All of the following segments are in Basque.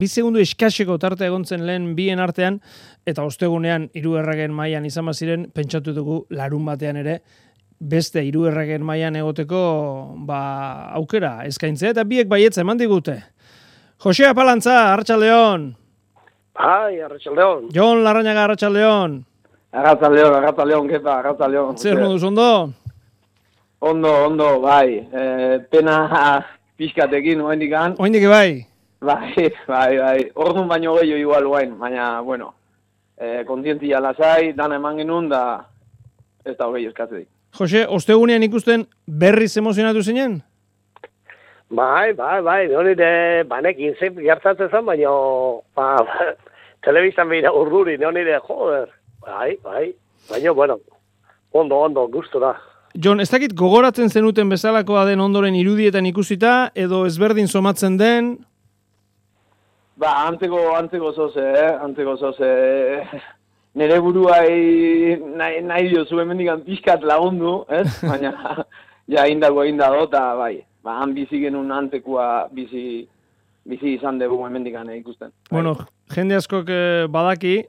bi segundu eskaseko tartea egontzen lehen bien artean, eta ostegunean hiru erregen mailan izan ziren, pentsatu dugu larun batean ere, beste hiru erregen mailan egoteko aukera eskaintzea, eta biek baietza eman digute. Jose Apalantza, Arratsaldeon. Bai, Arratsaldeon. Jon Larrañaga, Arratsaldeon. Arratsaldeon, kepa, Arratsaldeon. Zer moduz, ondo? Ondo, bai. Pena pixkatekin, oendikan. Oendik bai? Bai. Orduan baino gehiago igual guain, baina, bueno, kontientzia lasai, dana eman genuen, da ez da hogei eskatzedik. Jose, ostegunean ikusten berriz emozionatu zinen? Bai, nire banekin zein gertatzen zen, baina telebizan behira urduri, nire, joder, bai, baina, bueno, ondo, gustura. Jon, ez dakit gogoratzen zenuten bezalakoa den ondoren irudietan ikusita, edo ezberdin somatzen den? Antzeko zoze, nire buruai nahi dio zuen mendikan pixkat lagundu, ez? Baina, ja, indako, eta bai. Han bizi genuen antekoa bizi izan dugu hemendikan ikusten. Bueno, jende askok badaki,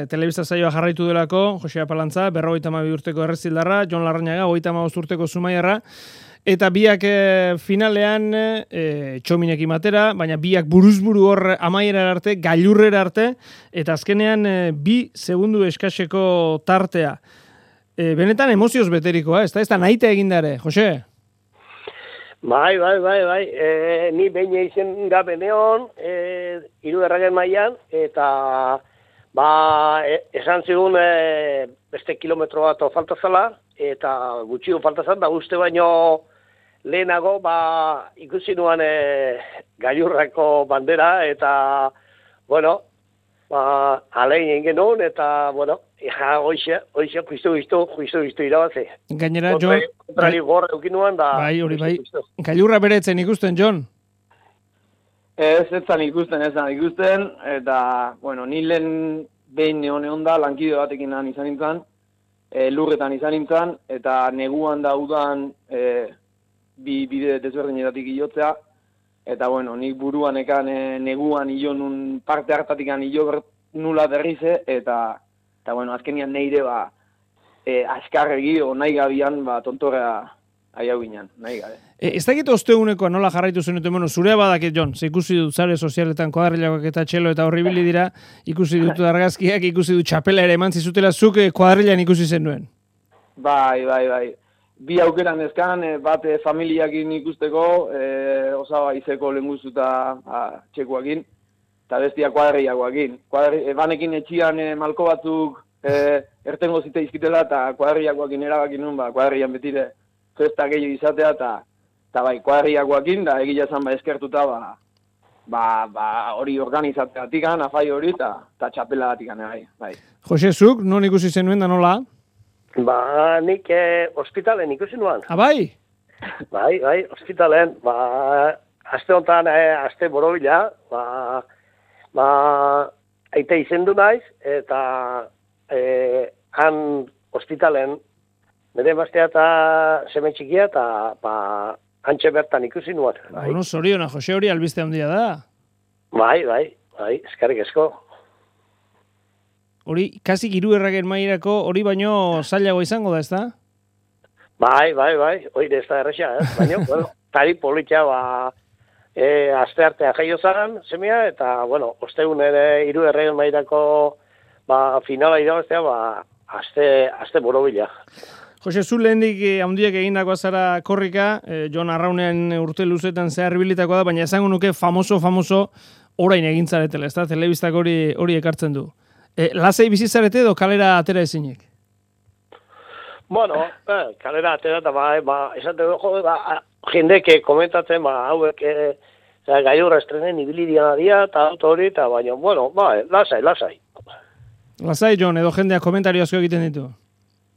telebista saioa jarraitu delako, Jose Apalantza, 52 urteko errezildarra, Jon Larrañaga, 35 urteko zumaiarra, eta biak finalean txominekin batera, baina biak buruzburu hor amaierara arte, gailurrera arte, eta azkenean 2 segundu eskaseko tartea. Benetan emozioz beterikoa, ez da nahita egindare, Jose? Bai. Ni behin eizen gabe neon, hiru erragen mailan, eta esan zigun beste kilometro bat falta zala, eta gutxio falta zan, da uste baino lehenago ikusi nuan gailurrako bandera, eta, bueno, alein egin genuen, eta, bueno, hoxe, juizu irabazi. Gainera, Jon... Kontrari gorra eukin nuen, da... Bai. Gailurra beretzen ikusten, Jon? Ez zan ikusten, eta, bueno, ni lehen behin neon da, lankide batekin izan nintzen, lurretan izan nintzen, eta neguan da udan bi bide desberdinetatik iotzea, eta, bueno, nik buruan ekan neguan ilo nun parte hartatik ilo nula berrize, eta, bueno, azkenian neire askarregi o nahi gabian tontorrea aiau ginen, nahi gabe. Ez dakit ostegunekoa nola jarraitu zenuten, bueno, zurea badakit, Jon, ikusi dut zare sozialetan kuadrilakoak eta txelo eta horribili dira, ikusi dut argazkiak, ikusi dut txapela ere eman zizutela, zuk kuadrilan ikusi zenuen. Bai. Bi aukeran ezkan, bat familiakin ikusteko, osaba izeko lenguzuta txekuakin, eta bestia kuadriakoakin. Banekin etxian malko batzuk ertengo zite izkitela, eta kuadriakoakin erabakin nun, kuadrian betire festa gehiago izatea, eta bai, kuadriakoakin, da egila zan eskertuta, hori organizateatikan, afai hori, eta txapela atikan, bai. Jose, zuk, non ikusi zenuen da nola? Nik ospitalen ikusi nuan. Bai? Bai, ospitalen. Aste honetan, aste borobila, aite izendu naiz, eta han ospitalen, nire emaztea eta seme txikia, eta hantxe bertan ikusi nuan. Bueno, zoriona, Jose, hori albiste handia da. Bai, eskarrik esko. Hori, kasi hiru erragen mailako, hori baino zailago izango da, ez da? Bai, hori ez da erresa, baina, bueno, tari politxa, aste artea jaio zan, semea, eta, bueno, ostegun ere hiru erragen mailako finala irabaztea, aste borobila. Jose, zu lehendik handiak egindakoa zara korrika, Jon Arraunean urte luzetan zehar bilitakoa da, baina esango nuke famoso orain egintzaretela, ez da? Telebistak hori ekartzen du. Lasai bizitzarete edo kalera atera ezinik? Bueno, kalera atera eta esate dugu, jendeke komentatzen, hauek gailurra estrenen ibilidian adia, eta hori, eta baina, bueno, lasai. Lasai, Jon, edo jendeak komentario asko egiten ditu?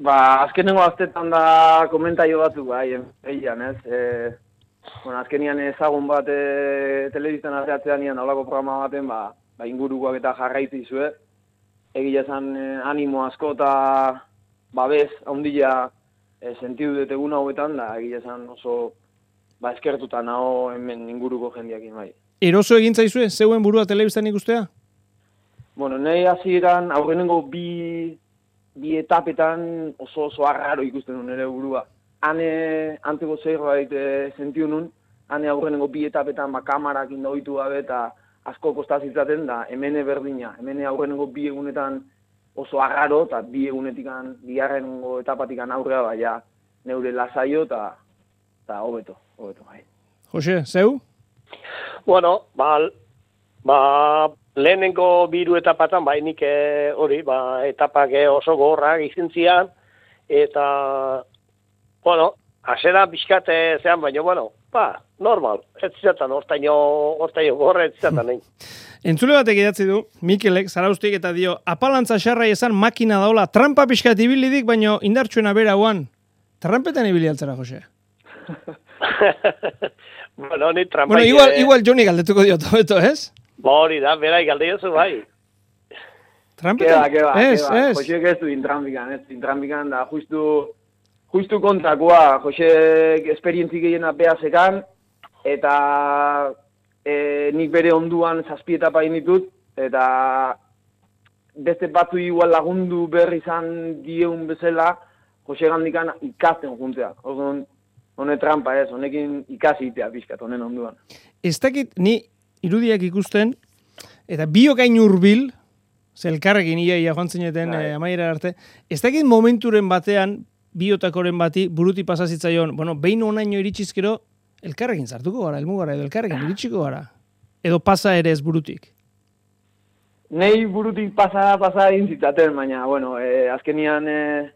Azkenengo aztetan da komentario batzuk, eian, ez? Azkenian ezagun bat telebiztan ateatzean nian holako programa baten, ingurukoak eta jarraitzi zue. Egia esan animo asko eta babes handia sentidu dut egun hauetan, da egia esan oso eskertuta nago hemen inguruko jendeakin bai. Eroso egin zaizue, zeuen burua telebistan ikustea? Bueno, nahi hasieran aurrenengo bi etapetan oso arraro ikusten nuen ere burua. Hane anteko zerbait sentiu nun, hane aurrenengo bi etapetan kamarak indoitu gabe eta asko kostazitzaten da, hemene berdina. Hemene aurrenengo bi egunetan oso arraro, eta bi egunetikan, bigarrengo etapatikan aurrea baina neure lasaio eta hobeto, bai. Jose, zeu? Bueno, lehenengo biru etapatan, nik hori, etapak oso gogorrak izin zian, eta, bueno, hasera pixkat zean, baina, bueno, normal, ez zizatan, hortaino gorra ez zizatan, nahi. Entzule batek idatzi du, Mikelek, Zaraustik eta dio, apalantza xarrai esan makina daola, trampa pixkat ibilidik, baino indartsuena bera guan. Trampetan ibili altzera, Jose? Bueno, ni trampa... Bueno, igual Joni galdetuko dio tobeto, ez? Hori da, berai galdeiozu bai. Trampetan? Keba. Jose ez du intrampikan, da justu kontrakoa, Jose esperientzik gehiena behazekan, eta nik bere onduan 7 etapa ditut, eta beste batzu igual lagundu berri izan dieun bezala, Jose gandikan ikasten juntzea. Hone trampa ez, honekin ikasi itea pixkat, honen onduan. Ez dakit, ni irudiak ikusten, eta biokain hurbil, zelkarrekin ia joan zineten amaiera arte, ez dakit momenturen batean, biotakoren bati, buruti pasazitzaion, bueno, behin onaino iritsizkero, elkarrekin zartuko gara, elmugara, edo elkarrekin iritsiko gara. Edo pasa ere ez burutik. Nei burutik pasa egin zitzaten, baina, bueno, azkenian...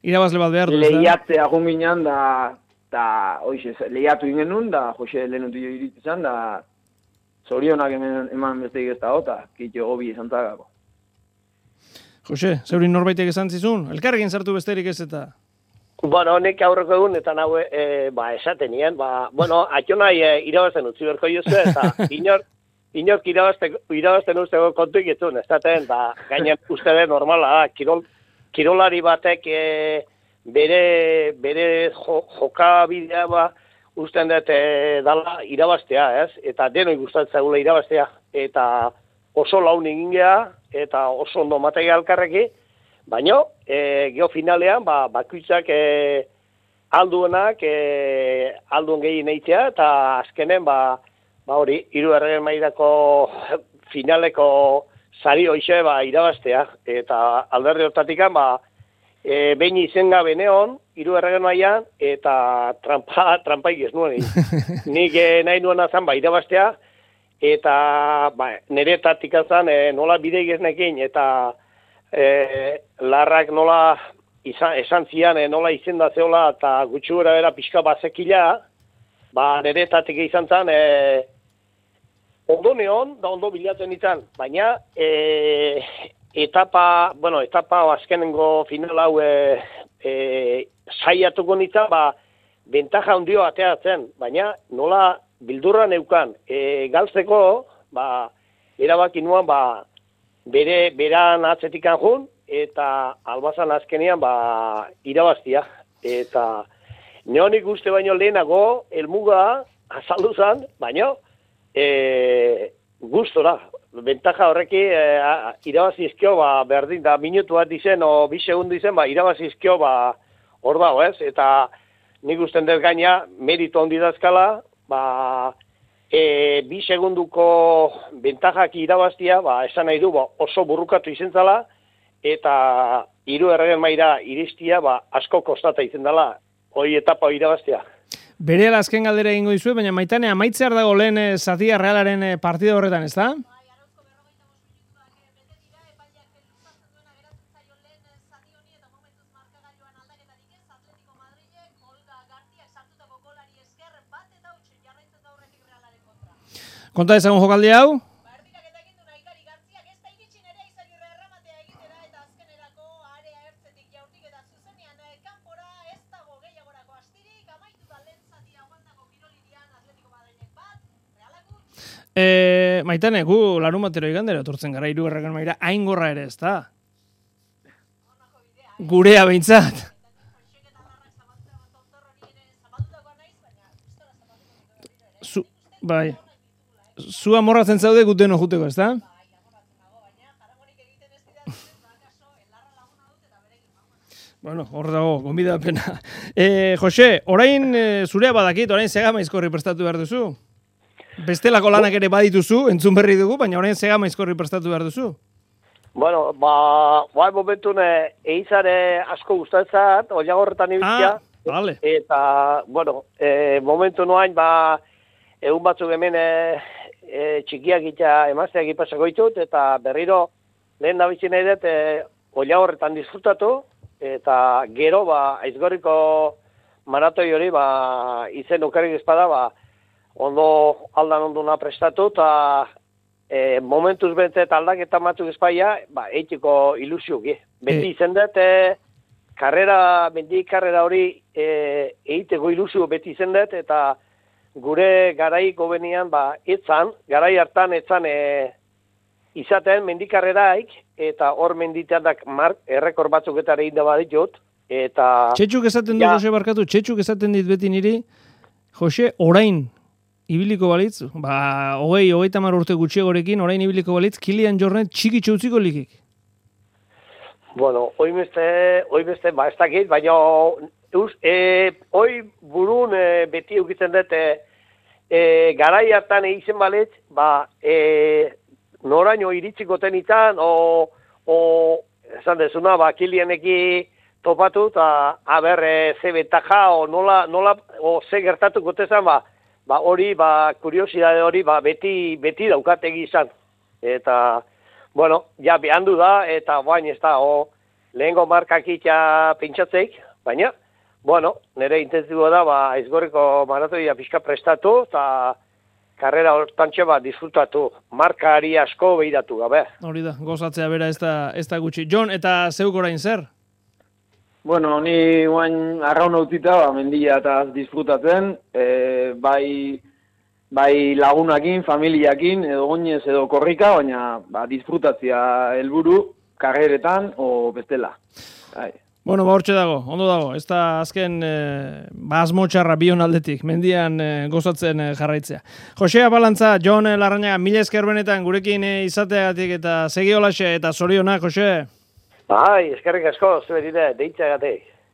Irabazle bat behar du. Lehiatzea junginan, da hoize, lehiatu ingen nun, da Jose lehenutu jo iritzizan, da zorionak eman besteik ez da hota, kitxo gobi esan zagako. Jose, zeurin norbaitek esan zizun? Elkarrekin sartu besterik ez eta... Bueno, nek aurreko egun, eta nahu, esaten nien, bueno, atxonai irabazten utzi berko jozu, eta inork irabazten usteko kontuik etzun, ez daten, gainen uste den normala da, kirolari batek bere jokabidea usten dut dala irabaztea, ez? Eta denoi gustatzen zaigula irabaztea, eta oso laun egin geha, eta oso ondo matega alkarreki, baina, geofinalean, bakoitzak alduenak, alduen gehien eitzea, eta azkenen, hori, 3 erregen mailako finaleko sari hoxe, irabaztea, eta alderdi hortatikan, behin izen gabe neon, 3 erregen mailan, eta trampaik ez nuen. Nik nahi nuen azan, irabaztea, eta nire taktika zan, nola bide geznekin, eta larrak nola esan zian, nola izenda zeola, eta gutxura bera pixka bazekila, nire taktika izan zan, ondo neon, da ondo bilatzen izan, baina etapa azkenengo final hau saiatuko nintzen, bentaja handio ateatzen, baina nola bildurra neukan, galtzeko, erabaki nuan, beran atzetikan jun, eta albazan azkenean, irabaztia. Eta neonik uste baino lehenago, elmuga azaldu zan, baina gustora. Bentaja horreki irabazizkio, berdin da, minutu bat dizen, o 2 segundu dizen, irabazizkio, hor dago, ez? Eta nik usten dut gaina, meritu handi dazkala, 2 segunduko bentajak irabaztia, esan nahi du, oso burrukatu izen zala, eta 3 erregen maila iristia, asko kostata izen dela, hori etapa irabaztia. Bere azken galdera egingo dizue, baina Maitane, amaitzear dago lehen Zatia Realaren partida horretan, ez da? Konta ezagun jokaldi hau? Maitane, gu larun batero igandera etortzen gara 3 erregen maila, hain gorra ere, ez da? Gurea behintzat. Bai. zu amorratzen zaude guteno juteko, ez da? Bueno, hor dago, gonbidapena. Jose, orain zurea badakit, orain Segamaizkorri prestatu behar duzu? Bestelako lanak ere badituzu, entzun berri dugu, baina orain Segamaizkorri prestatu behar duzu? Bueno, bai momentun eizare asko gustatzat, oiagorretan ibiltzea. Vale. Eta, bueno, momentu noain, egun batzuk hemen txikiak eta emazteak ipasako ditut, eta berriro lehen nabitzi nahi dut oiagorretan disfrutatu, eta gero, Aizkorriko maratoi hori, izen okerrik espada, ondo aldan onduna prestatu, eta momentuz bentzet aldaketa batzuk espaia, eitiko ilusioki. Beti izen dut, mendi karrera hori eiteko ilusio beti izen dut, eta gure garaiko benian, garai hartan etzan izaten mendikarreraik, eta hor menditeadak errekor batzuk eta egin da baditut, eta... Txetxuk esaten du, Jose, barkatu, txetxuk esaten dit beti niri, Jose, orain ibiliko balitz, 20-30 urte gutxiagorekin, orain ibiliko balitz, Kilian Jornet txiki utziko likik. Bueno, hoi beste, ez dakit, baina hoi burun beti eukitzen dut, garai hartan eizen balitz, noraino iritsiko tenitan, esan dezuna, Kilianeki topatu, eta ze betaja, ze gertatuko tezan, hori, kuriosidade hori, beti daukategi izan. Eta, bueno, ja behandu da, eta bain ez da, lehengo markak itxa pentsatzeik, baina, bueno, nire intensiboa da, Aizkorriko maratoia pixka prestatu, eta karrera hortantxe disfrutatu, markari asko behiratu gabe. Hori da, gozatzea bera ez da gutxi. Jon, eta zeuk orain zer? Bueno, ni guain arraun utzita, mendia eta disfrutatzen, bai lagunakin, familiakin, edo goinez edo korrika, baina disfrutatzea helburu karreretan o bestela. Bueno, hortxe dago, ondo dago. Ez da azken asmotxarra bion aldetik, mendian gozatzen jarraitzea. Jose Apalantza, Jon Larrañaga, mila esker benetan gurekin izateagatik eta segi holaxe eta zorionak, Jose. Eskerrik asko, zuberide, deitzeagatik.